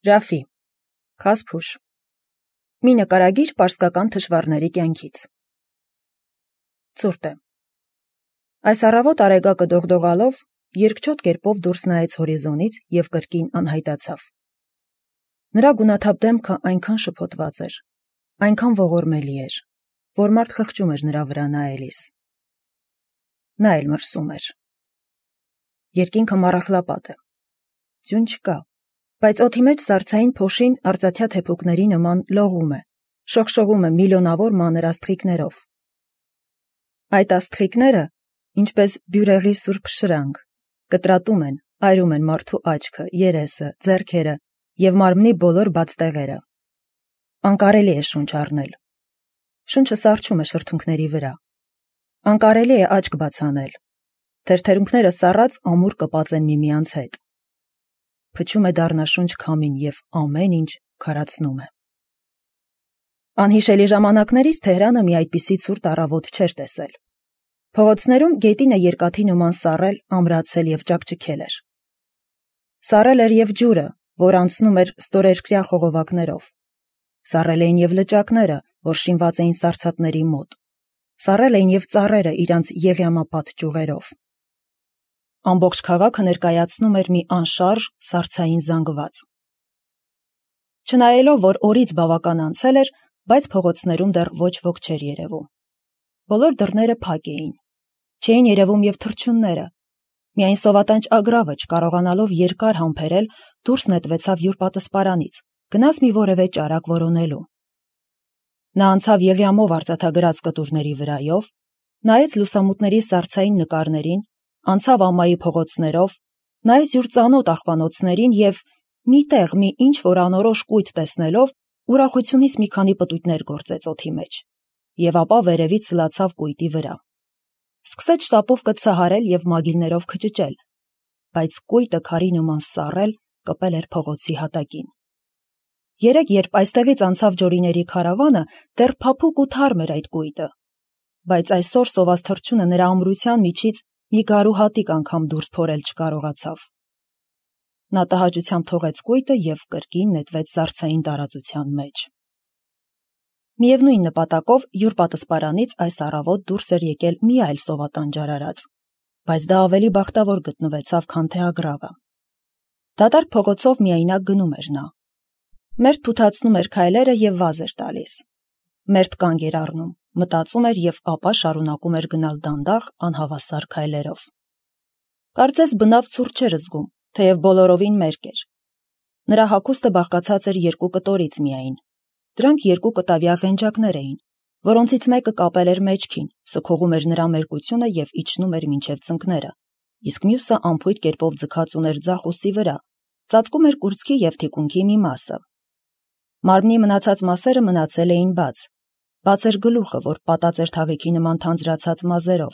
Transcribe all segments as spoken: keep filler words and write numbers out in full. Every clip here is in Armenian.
Ռաֆի, Խասփուշ, մի նկարագիր պարսկական թշվառների կյանքից։ Ցուրտ է։ Այս առավոտ արեգակը դողդողալով, երկչոտ կերպով դուրս նայեց հորիզոնից և կրկին անհայտացավ։ Նրա գունաթափ դեմքը այնքան շփոթված էր, այնքան ողորմելի էր, որ մարդ խղճում էր նրա վրա նայելիս։ Նա էլ մրսում էր։ Երկինքը մառախլապատ է։ Ձյուն չկա, բայց օդի մեջ սառցային փոշին արծաթյա թեփուկների նման լողում է, շողշողում է միլիոնավոր մանր աստղիկներով։ Այդ աստղիկները, ինչպես բյուրեղի սուրբ շրանք, կտրատում են, այրում են մարդու աչքը, երեսը, ձեռքերը և մարմնի բոլոր բաց տեղերը։ Անկարելի է շունչ առնել։ Շունչը սառչում է շրթունքների վրա։ Անկարելի է աչք բաց անել։ Թերթերունքները սառած ամուր կպած են միմյանց հետ։ Փչում է դառնաշունչ քամին և ամեն ինչ քարացնում է։ Անհիշելի ժամանակներից Թեհրանը մի այդպիսի ցուրտ առավոտ չէր տեսել։ Փողոցներում գետինը երկաթի նման սառել, ամրացել և ճաքճքել էր։ Սառել էր և ջուրը, որ անցնում էր ստորերկրյա խողովակներով։ Սառել էին և լճակները, որ շինված էին սառցատների մոտ։ Սառել էին և ծառերը իրանց եղյամապատ ճյուղերով։ Ամբողջ քաղաքը ներկայացնում էր մի անշարժ սառցային զանգված։ Չնայելով, որ օրից բավական անցել էր, բայց փողոցներում դեռ ոչ ոք չէր երևում։ Բոլոր դռները փակ էին։ Չէին երևում և թռչունները։ Միայն սովատանչ ագռավը, չկարողանալով երկար համբերել, դուրս նետվեցավ յուր պատսպարանից, գնաց մի որևէ ճարակ որոնելու։ Նա անցավ եղյամով արծաթագրած կտուրների վրայով, նայեց լուսամուտների սառցային նկարներին, անցավ ամայի փողոցներով, նայեց յուր ծանոթ աղբանոցներին և մի տեղ մի ինչ-որ անորոշ կույտ տեսնելով, ուրախությունից մի քանի պտույտներ գործեց օդի մեջ, և ապա վերևից սլացավ կույտի վրա։ Սկսեց շտապով կցահարել և մագիլներով քճճել, բայց կույտը քարի նման սառել, կպել էր փողոցի հատակին։ Երեկ, երբ այստեղից անցավ ջորիների քարավանը, դեռ փափուկ ու թարմ էր այդ կույտը, բայց այսօր սոված թռչունը նրա ամրության միջից մի գարու հատիկ անգամ դուրս փորել չկարողացավ։ Նա տհաճությամբ թողեց կույտը և կրկին նետվեց սառցային տարածության մեջ։ Միևնույն նպատակով յուր պատսպարանից այս առավոտ դուրս էր եկել մի այլ սովատանչ արարած, բայց դա ավելի բախտավոր գտնվեցավ, քան թե ագռավը։ Դատարկ փողոցով միայնակ գնում էր նա։ Մերթ թութացնում էր քայլերը և վազ էր տալիս։ Մերթ կանգ էր առնում, մտածում էր և ապա շարունակում էր գնալ դանդաղ, անհավասար քայլերով։ Կարծես բնավ ցուրտ չէր զգում, թեև բոլորովին մերկ էր։ Նրա հագուստը բաղկացած էր երկու կտորից միայն։ Դրանք երկու կտավյա ղենջակներ էին, որոնցից մեկը կապել էր մեջքին, սքողում էր նրա մերկությունը և իջնում էր մինչև ծնկները, իսկ մյուսը անփույթ կերպով ձգած ուներ ձախ ուսի վրա, ծածկում էր կուրծքի և թիկունքի մի մասը։ Մարմնի մնացած մասերը մնացել էին բաց։ Բաց էր գլուխը, որ պատած էր թաղիքի նման թանձրացած մազերով,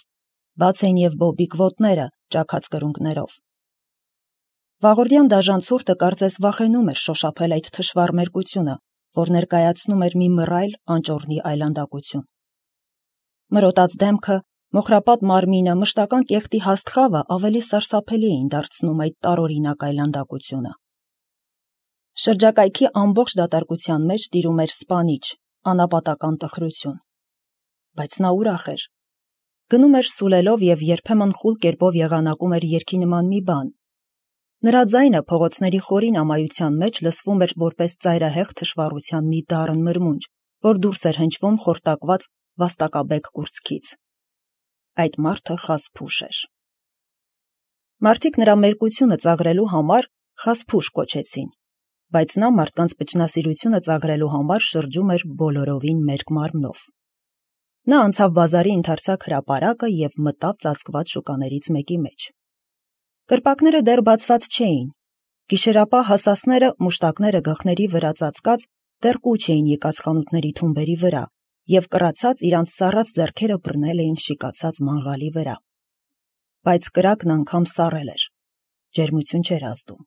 բաց էին և բոբիկ ոտները, ճաքած կրունկներով։ Վաղորդյան դաժան ցուրտը կարծես վախենում էր շոշափել այդ թշվառ մերկությունը, որ ներկայացնում էր մի մռայլ անճոռնի այլանդակություն։ Մրոտած դեմքը, մոխրապատ մարմինը, մշտական կեղտի հաստ խավը ավելի սարսափելի էին դարձնում այդ տարօրինակ այլանդակությունը։ Շրջակայքի ամբողջ դատարկության մեջ տիրում էր սպանիչ, անապատական տխրություն։ Բայց նա ուրախ էր։ Գնում էր սուլելով և երբեմն խուլ կերպով եղանակում էր երգի նման մի բան։ Նրա ձայնը փողոցների խորին ամայության մեջ լսվում էր որպես ծայրահեղ թշվառության մի դառն մրմունջ, որ դուրս էր հնչվում խորտակված վաստակաբեկ կուրծքից։ Այդ մարդը Խասփուշ էր։ Մարդիկ նրա մերկությունը ծաղրելու համար Խասփուշ կոչեցին, բայց նա մարդկանց վճնասիրությունը ծաղրելու համար շրջում էր բոլորովին մերկ մարմնով։ Նա անցավ բազարի ընդարձակ հրապարակը և մտավ ծածկված շուկաներից մեկի մեջ։ Կրպակները դեռ բացված չէին։ Գիշերապահ հասասները, մուշտակները գլխների վրա ծածկած, դեռ կուչ էին եկած խանութների թումբերի վրա և կռացած իրանց սառած ձեռքերը բռնել էին շիկացած մանգաղի վրա։ Բայց կրակն անգամ սառել էր։ Ջերմություն չէր ազդում։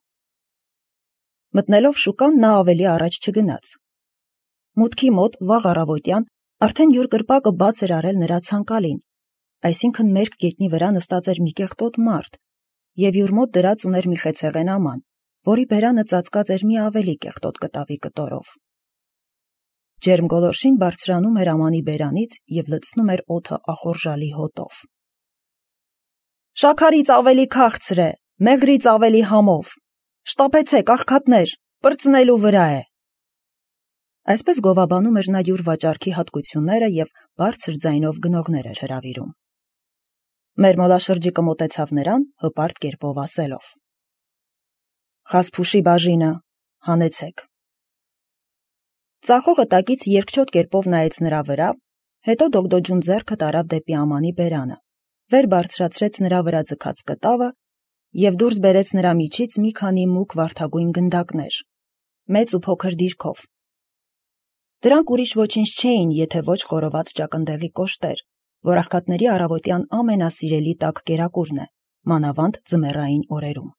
Մտնելով շուկան նա ավելի առաջ չգնաց։ Մուտքի մոտ վաղ առավոտյան արդեն յուր կրպակը բաց էր արել նրա ցանկալին, այսինքն մերկ գետնի վրա նստած էր մի կեղտոտ մարդ և յուր մոտ դրած ուներ մի խեցեղեն աման, որի բերանը ծածկած էր մի ավելի կեղտոտ կտավի կտորով։ Ջերմ գոլորշին բարձրանում էր ամանի բերանից և լցնում էր օդը ախորժալի հոտով։ «Շաքարից ավելի քաղցր է, մեղրից ավելի համով, շտապեցեք, աղքատներ, պրծնելու վրա է»։ Այսպես գովաբանում էր նա յուր վաճառքի հատկությունները և բարձր ձայնով գնողներ էր հրավիրում։ Մեր մոլաշրջիկը մոտեցավ նրան, հպարտ կերպով ասելով. «Խասփուշի բաժինը, հանեցեք»։ Ծախողը տակից երկչոտ կերպով նայեց նրա վրա, հետո դոգդոջուն ձեռքը տարավ դեպի ամանի բերանը, վեր բարձրացրեց նրա վրա ձգած կտավը և դուրս բերեց նրա միջից մի քանի մուգ վարդագույն գնդակներ, մեծ ու փոքր դիրքով։ Դրանք ուրիշ ոչինչ չէին, եթե ոչ խորոված ճակնդեղի կոշտեր, որ աղքատների առավոտյան ամենասիրելի տաք կերակուրն է, մանավանդ ձմեռային օրերում։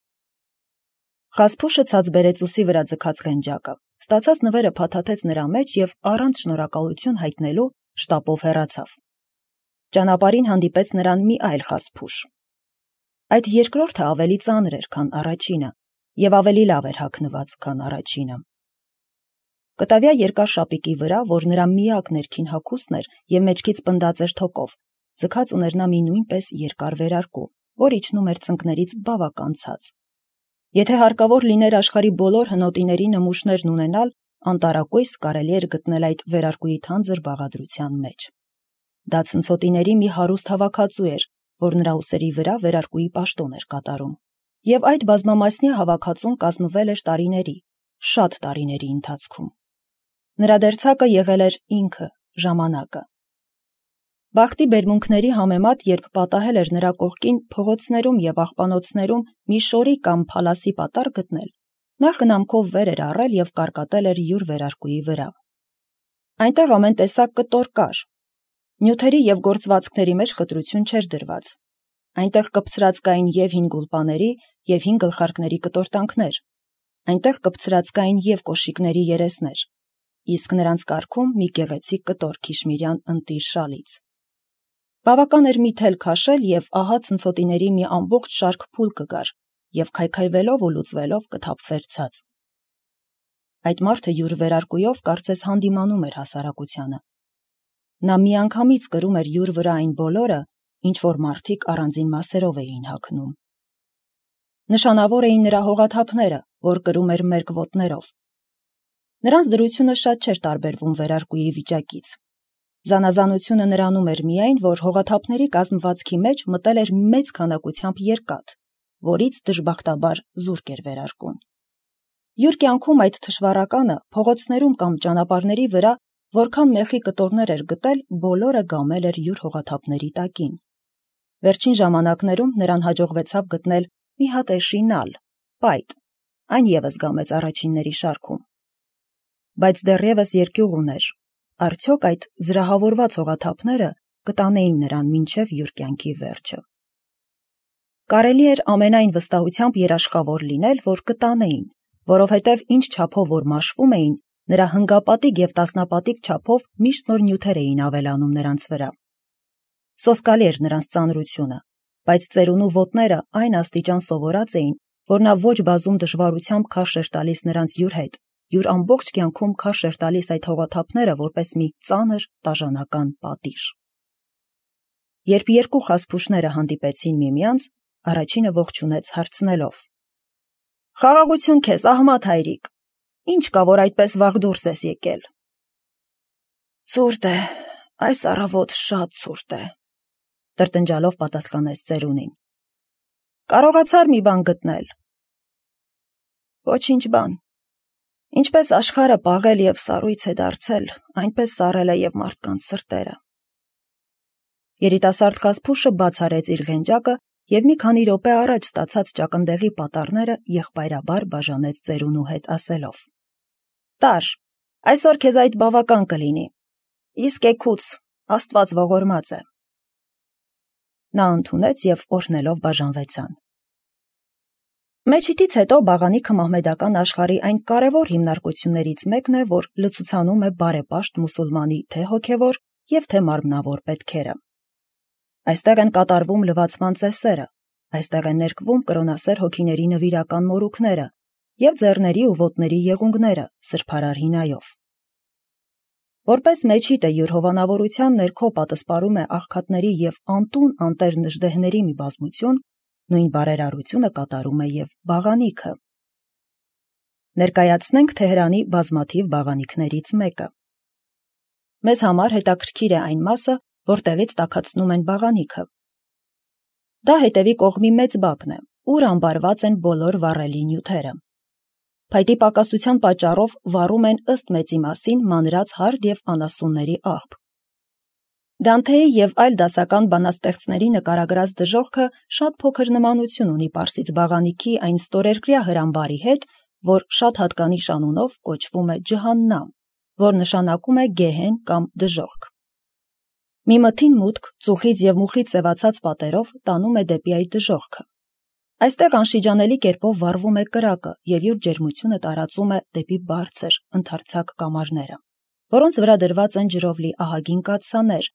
Խասփուշը ցած բերեց ուսի վրա ձգած ղենջակը, ստացած նվերը փաթաթեց նրա մեջ և առանց շնորհակալություն հայտնելու շտապով հեռացավ։ Ճանապարհին հանդիպեց նրան մի այլ խասփուշ։ Այդ երկրորդը ավելի ծանր էր, քան առաջինը, և ավելի լավ էր հագնված, քան առաջինը։ Կտավյա երկար շապիկի վրա, որ նրա միակ ներքին հագուստն էր և մեջքից պնդած էր թոկով, ձգած ուներ նա մի նույնպես երկար վերարկու, որ իջնում էր ծնկներից բավական ցած։ Եթե հարկավոր լիներ աշխարհի բոլոր հնոտիների նմուշներն ունենալ, անտարակույս կարելի էր գտնել այդ վերարկուի թանձր բաղադրության մեջ։ Դա ցնցոտիների մի հարուստ հավաքածու էր, որ նրա ուսերի վրա վերարկուի պաշտոն էր կատարում, և այդ բազմամասնյա հավաքածուն կազմվել էր տարիների, շատ տարիների ընթացքում։ Նրա դերձակը եղել էր ինքը, ժամանակը։ Բախտի բերմունքների համեմատ, երբ պատահել էր նրա կողքին փողոցներում և աղբանոցներում մի շորի կամ փալասի պատառ գտնել, նա խնամքով վեր էր առել և կարկատել էր յուր վերարկուի վրա։ Այնտեղ ամեն տեսակ կտոր կար։ Նյութերի և գործվածքների մեջ խտրություն չէր դրված։ Այնտեղ կպցրած կային և հին գուլպաների, և հին գլխարկների կտորտանքներ։ Այնտեղ կպցրած կային և կոշիկների երեսներ, իսկ նրանց կարգում մի գեղեցիկ կտոր քիշմիրյան ընտիր շալից։ Բավական էր մի թել քաշել, և ահա ցնցոտիների մի ամբողջ շարք փուլ կգար, և քայքայվելով ու լուծվելով կթափվեր ցած։ Այդ մարդը յուր վերարկուով կարծես հանդիմանում էր հասարակությանը։ Նա միանգամից կրում էր յուր վրա այն բոլորը, ինչ որ մարդիկ առանձին մասերով էին հագնում։ Նշանավոր էին նրա հողաթափները, որ կրում էր մերկ ոտներով։ Նրանց դրությունը շատ չէր տարբերվում վերարկուի վիճակից։ Զանազանությունը նրանում էր միայն, որ հողաթափների կազմվածքի մեջ մտել էր մեծ քանակությամբ երկաթ, որից դժբախտաբար զուրկ էր վերարկուն։ Յուր կյանքում այդ թշվառականը փողոցներում կամ ճանապարհների վրա որքան մեխի կտորներ էր գտել, բոլորը գամել էր յուր հողաթափների տակին։ Վերջին ժամանակներում նրան հաջողվեցավ գտնել մի հատ էշինալ, պայտ, այն ևս գամեց առաջինների շարքում։ Բայց դեռևս երկյուղ ուներ, արդյոք այդ զրահավորված հողաթափները կտանեին նրան մինչև յուր կյանքի վերջը։ Կարելի էր ամենայն վստահությամբ երաշխավոր լինել, որ կտանեին, որովհետև ինչ չափով որ մաշվում էին, նրա հնգապատիկ և տասնապատիկ չափով միշտ նոր նյութեր էին ավելանում նրանց վրա։ Սոսկալի էր նրանց ծանրությունը, բայց ծերունու ոտները այն աստիճան սովորած էին, որ նա ոչ բազում դժվարությամբ քարշ էր տալիս նրանց յուր հետ, յուր ամբողջ կյանքում քարշ էր տալիս այդ հողաթափները որպես մի ծանր տաժանական պատիժ։ Երբ երկու խասփուշները հանդիպեցին միմյանց, առաջինը ողջունեց հարցնելով. «Խաղաղություն քեզ, Ահմադ հայրիկ, ինչ կա, որ այդպես վաղ դուրս ես եկել»։ «Ցուրտ է, այս առավոտ շատ ցուրտ է», տրտնջալով պատասխանեց ծերունին։ «Կարողացա՞ր մի բան գտնել»։ «Ոչինչ բան։ Ինչպես աշխարհը պաղել և սառույց է դարձել, այնպես սառել է և մարդկանց սրտերը»։ Երիտասարդ խասփուշը բաց արեց իր ղենջակը և մի քանի րոպե առաջ ստացած ճակնդեղի պատառները եղբայրաբար բաժանեց ծերունու հետ, ասելով. «Տար, այսօր քեզ այդ բավական կլինի, իսկ էգուց Աստված ողորմած է»։ Նա ընդունեց և օրհնելով բաժանվեցան։ Մեջիտից հետո բաղանիքը մահմեդական աշխարհի այն կարևոր հիմնարկություններից մեկն է, որ լցուցանում է բարեպաշտ մուսուլմանի թե հոգևոր և թե մարմնավոր պետքերը։ Այստեղ են կատարվում լվացման ծեսերը, այստեղ են ներկվում կրոնասեր հոգիների նվիրական մորուքները և ձեռների ու ոտների եղունգները սրբարար հինայով։ Որպես մեջիտը յուր հովանավորության ներքո պատսպարում է աղքատների և անտուն անտեր նժդեհների մի բազմություն, նույն բարերարությունը կատարում է և բաղանիքը։ Ներկայացնենք Թեհրանի բազմաթիվ բաղանիքներից մեկը։ Մեզ համար հետաքրքիր է այն մասը, որտեղից տաքացնում են բաղանիքը։ Դա հետևի կողմի մեծ բակն է, ուր ամբարված են բոլոր վառելի նյութերը։ Փայտի պակասության պատճառով վառում են ըստ մեծի մասին մանրած հարդ և անասունների աղբ։ Դանթեի և այլ դասական բանաստեղծների նկարագրած դժոխքը շատ փոքր նմանություն ունի պարսից բաղանիքի այն ստորերկրյա հրամբարի հետ, որ շատ հատկանիշ անունով կոչվում է ջհաննամ, որ նշանակում է գեհեն կամ դժոխք։ Մի մթին մուտք ծուխից և մուխից սևացած պատերով տանում է դեպի այդ դժոխքը։ Այստեղ անշիջանելի կերպով վառվում է կրակը և յուր ջերմությունը տարածում է դեպի բարձր, ընդարձակ կամարները, որոնց վրա դրված են ջրով լի ահագին կաթսաներ,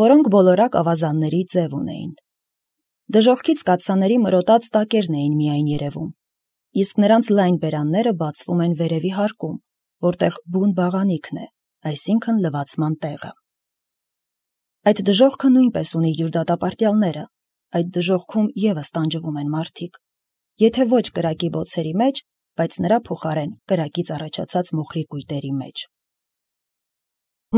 որոնք բոլորակ ավազանների ձև ունեին։ Դժոխքից կաթսաների մրոտած տակերն էին միայն երևում, իսկ նրանց լայն բերանները բացվում են վերևի հարկում, որտեղ բուն բաղանիքն է, այսինքն լվացման տեղը։ Այդ դժոխքը նույնպես ունի յուր դատապարտյալները, այդ դժոխքում ևս տանջվում են մարդիկ, եթե ոչ կրակի բոցերի մեջ, բայց նրա փոխարեն կրակից առաջացած մոխրի կույտերի մեջ։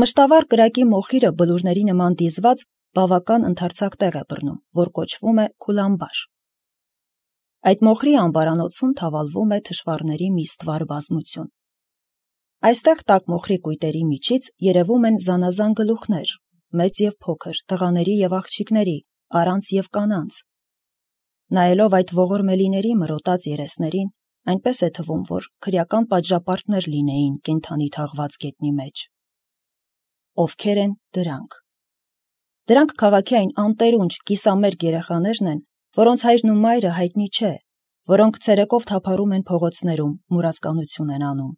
Մշտավառ կրակի մոխիրը բլուրների նման դիզված բավական ընդարձակ տեղ է բռնում, որ կոչվում է քուլամբար։ Այդ մոխրի ամբարանոցում թավալվում է թշվառների մի ստվար բազմություն։ Այստեղ տաք մոխրի կույտերի միջից երևում են զանազան գլուխներ, մեծ և փոքր, տղաների և աղջիկների, առանց և կանանց։ Նայելով այդ ողորմելիների մրոտած երեսներին, այնպես է թվում, որ քրեական պատժապարտներ լինեին կենդանի թաղված գետնի մեջ։ Ովքեր են դրանք։ Դրանք քաղաքի այն անտերունջ, կիսամերկ երեխաներն են, որոնց հայրն ու մայրը հայտնի չէ, որոնք ցերեկով թափառում են փողոցներում, մուրացկանություն են անում,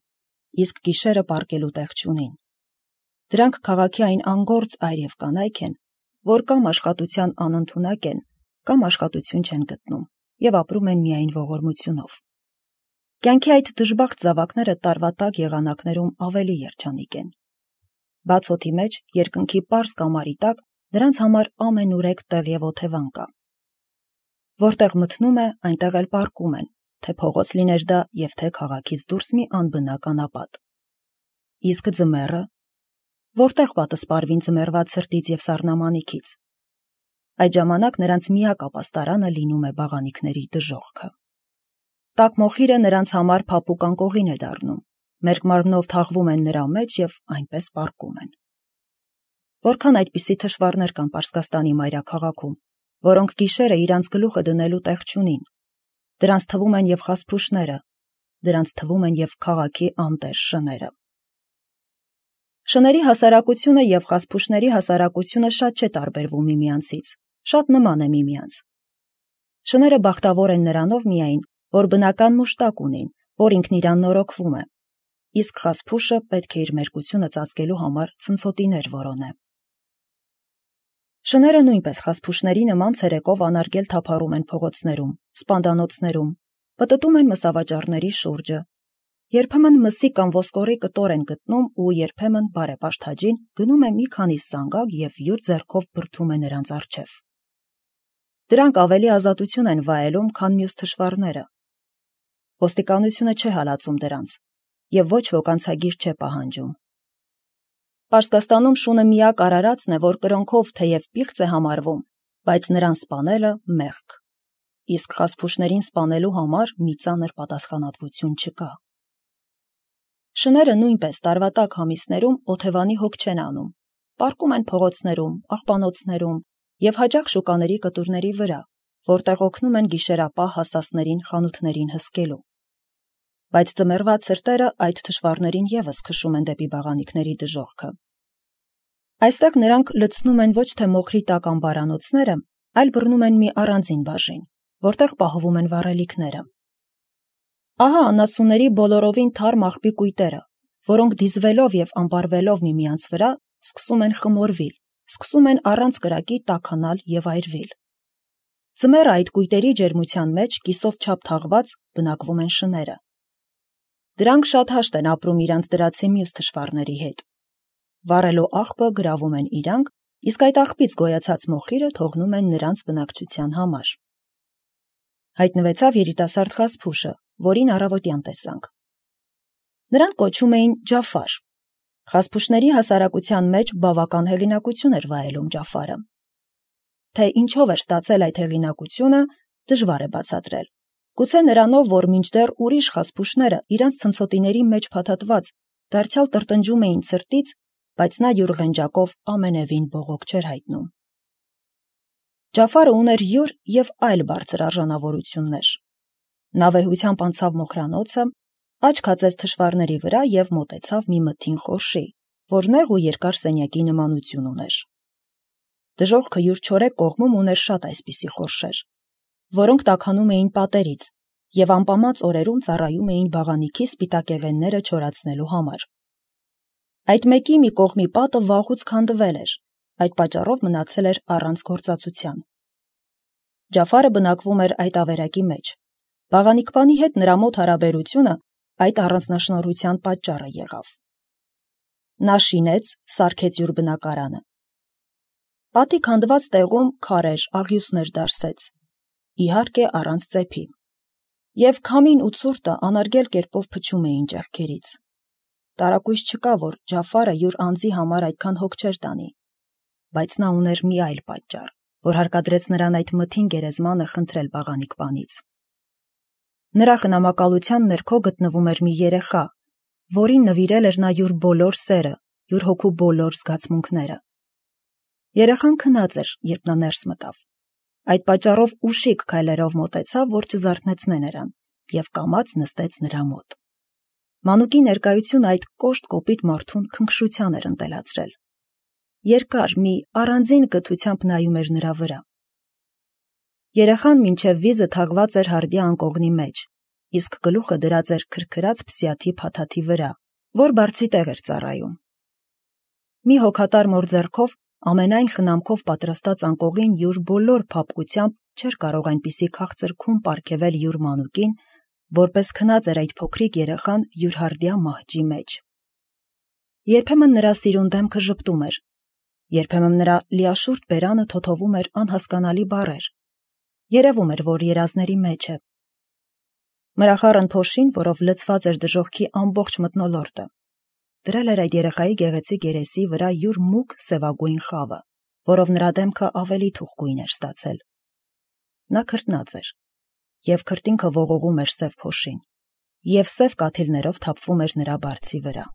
իսկ գիշերը պառկելու տեղ չունին։ Դրանք քաղաքի այն անգործ այր և կանայք են, որ կամ աշխատության անընդունակ են, կամ աշխատություն չեն գտնում և ապրում են միայն ողորմությունով։ Կյանքի այդ դժբախտ զավակները տարվա տաք եղանակներում ավելի երջանիկ են։ Բաց օդի մեջ, երկնքի պարզ կամարի տակ, նրանց համար ամենուրեք տեղ և օթևան կա։ Որտեղ մթնում է, այնտեղ էլ պառկում են, թե փողոց լիներ դա և թե քաղաքից դուրս մի անբնակ անապատ։ Իսկ ձմեռը, որտեղ պատսպարվին ձմեռվա ցրտից և սառնամանիքից։ Այդ ժամանակ նրանց միակ ապաստարանը լինում է բաղանիքների դժոխքը։ Տաք մոխիրը նրանց համար փափուկ անկողին է դառնում, մերկ մարմնով թաղվում են նրա մեջ և այնպես պառկում են։ Որքան այդպիսի թշվառներ կան Պարսկաստանի մայրաքաղաքում, որոնք գիշերը իրանց գլուխը դնելու տեղ չունին։ Դրանց թվում են և խասփուշները, դրանց թվում են և քաղաքի անտեր շները։ Շների հասարակությունը և խասփուշների հասարակությունը շատ չէ տարբերվում միմյանցից, շատ նման է միմյանց։ Շները բախտավոր են նրանով միայն, որ բնական մուշտակ ունին, որ ինքն իրան նորոգվում է, իսկ խասփուշը պետք է իր մերկությունը ծածկելու համար ցնցոտիներ որոնե։ Շները նույնպես խասփուշների նման ցերեկով անարգել թափառում են փողոցներում, սպանդանոցներում, պտտում են մսավաճառների շուրջը, երբեմն մսի կամ ոսկորի կտոր են գտնում ու երբեմն բարեպաշտ հաջին գնում է մի քանի սանգակ և յուր ձեռքով բրդում է նրանց առջև։ Դրանք ավելի ազատություն են վայելում, քան մյուս թշվառները։ Ոստիկանությունը չէ հալածում դրանց և ոչ ոք անցագիր չէ պահանջում։ Պարսկաստանում շունը միակ արարածն է, որ կրոնքով թեև պիղծ է համարվում, բայց նրան սպանելը մեղք, իսկ խասփուշներին սպանելու համար մի ծանր պատասխանատվություն չկա։ Շները նույնպես տարվա տաք ամիսներում օթևանի հոգ չեն անում, պառկում են փողոցներում, աղբանոցներում և հաճախ շուկաների կտուրների վրա, որտեղ օգնում են գիշերապահ հասածներին խանութներին հսկելու։ Բայց ձմեռվա ցրտերը այդ թշվառներին ևս քշում են դեպի բաղանիքների դժոխքը։ Այստեղ նրանք լցնում են ոչ թե մոխրի տաք ամբարանոցները, այլ բռնում են մի առանձին բաժին, որտեղ պահվում են վառելիքները։ Ահա անասունների բոլորովին թարմ աղբի կույտերը, որոնք դիզվելով և ամբարվելով միմյանց վրա սկսում են խմորվիլ, սկսում են առանց կրակի տաքանալ և այրվիլ։ Ձմեռը այդ կույտերի ջերմության մեջ կիսով չափ թաղված բնակվում են շները։ Դրանք շատ հաշտ են ապրում իրանց դրացի մյուս թշվառների հետ։ Վառելու աղբը գրավում են իրանք, իսկ այդ աղբից գոյացած մոխիրը թողնում են նրանց բնակչության համար։ Հայտնվեցավ երիտասարդ խասփուշը, որին առավոտյան տեսանք։ Նրան կոչում էին Ջաֆար։ Խասփուշների հասարակության մեջ բավական հեղինակություն էր վայելում Ջաֆարը։ Թե ինչով էր ստացել այդ հեղինակությունը, դժվար է բացատրել։ Գուցե նրանով, որ մինչդեռ ուրիշ խասփուշները իրանց ցնցոտիների մեջ փաթաթված դարձյալ տրտնջում էին ցրտից, բայց նա յուր ղենջակով ամենևին բողոք չէր հայտնում։ Ջաֆարը ուներ յուր և այլ բարձր արժանավորություններ։ Նա վեհությամբ անցավ մոխրանոցը, աչք հացեց թշվառների վրա և մոտեցավ մի մթին խորշի, որ նեղ ու երկար սենյակի նմանություն ուներ։ Դժոխքը յուր չորեկ կողմում ուներ շատ այսպիսի խորշեր, որոնք տաքանում էին պատերից և անպամած օրերում ծառայում էին բաղանիքի սպիտակեղենները չորացնելու համար։ Այդ մեկի մի կողմի պատը վաղուց քանդվել էր, այդ պատճառով մնացել էր առանց գործածության։ Ջաֆարը բնակվում էր այդ ավերակի մեջ։ Բաղանիքպանի հետ նրա մոտ հարաբերությունը այդ առանձնաշնորհության պատճառը եղավ։ Նա շինեց, սարքեց յուր բնակարանը։ Պատի քանդված տեղում քարեր, աղյուսներ դարսեց, իհարկե առանց ծեփի, և քամին ու ցուրտը անարգել կերպով փչում էին ճեղքերից։ Տարակույս չկա, որ Ջաֆարը յուր անձի համար այդքան հոգ չէր տանի, բայց նա ուներ մի այլ պատճառ, որ հարկադրեց նրան այդ մթին գերեզմանը խնդրել բաղանիքպանից։ Նրա խնամակալության ներքո գտնվում էր մի երեխա, որին նվիրել էր նա յուր բոլոր սերը, յուր հոգու բոլոր զգացմունքները։ Երեխան քնած էր, երբ նա ներս մտավ։ Այդ պատճառով ուշիկ քայլերով մոտեցավ, որ չզարթնեցնե նրան, և կամաց նստեց նրա մոտ։ Մանուկի ներկայությունը այդ կոշտ կոպիտ մարդուն քնքշության էր ընտելացրել։ Երկար մի առանձին կթությամբ նայում էր նրա վրա։ Երեխան մինչև վիզը թաղված էր հարդի անկողնի մեջ, իսկ գլուխը դրած էր քրքրած փսիաթի փաթաթի վրա, որ բարձի տեղ էր ծառայում։ Մի հոգատար մոր ձեռքով ամենայն խնամքով պատրաստած անկողին յուր բոլոր փափկությամբ չէր կարող այնպիսի քաղցր քուն պարգևել յուր մանուկին, որպես քնած էր այդ փոքրիկ երեխան յուր հարդյա մահճի մեջ։ Երբեմն նրա սիրուն դեմքը ժպտում էր, երբեմն նրա լիաշուրջ բերանը թոթովում էր անհասկանալի բառեր։ Երևում էր, որ երազների մեջ է։ Մրախառն փոշին, որով լցված էր դժոխքի ամբողջ մթնոլորտը, դրել էր այդ երեխայի գեղեցիկ երեսի վրա յուր մուգ սևագույն խավը, որով նրա դեմքը ավելի թուխկույն էր ստացել։ Նա քրտնած էր, և քրտինքը ողողում էր սև փոշին, և սև կաթիլներով թափվում էր նրա բարձի վրա։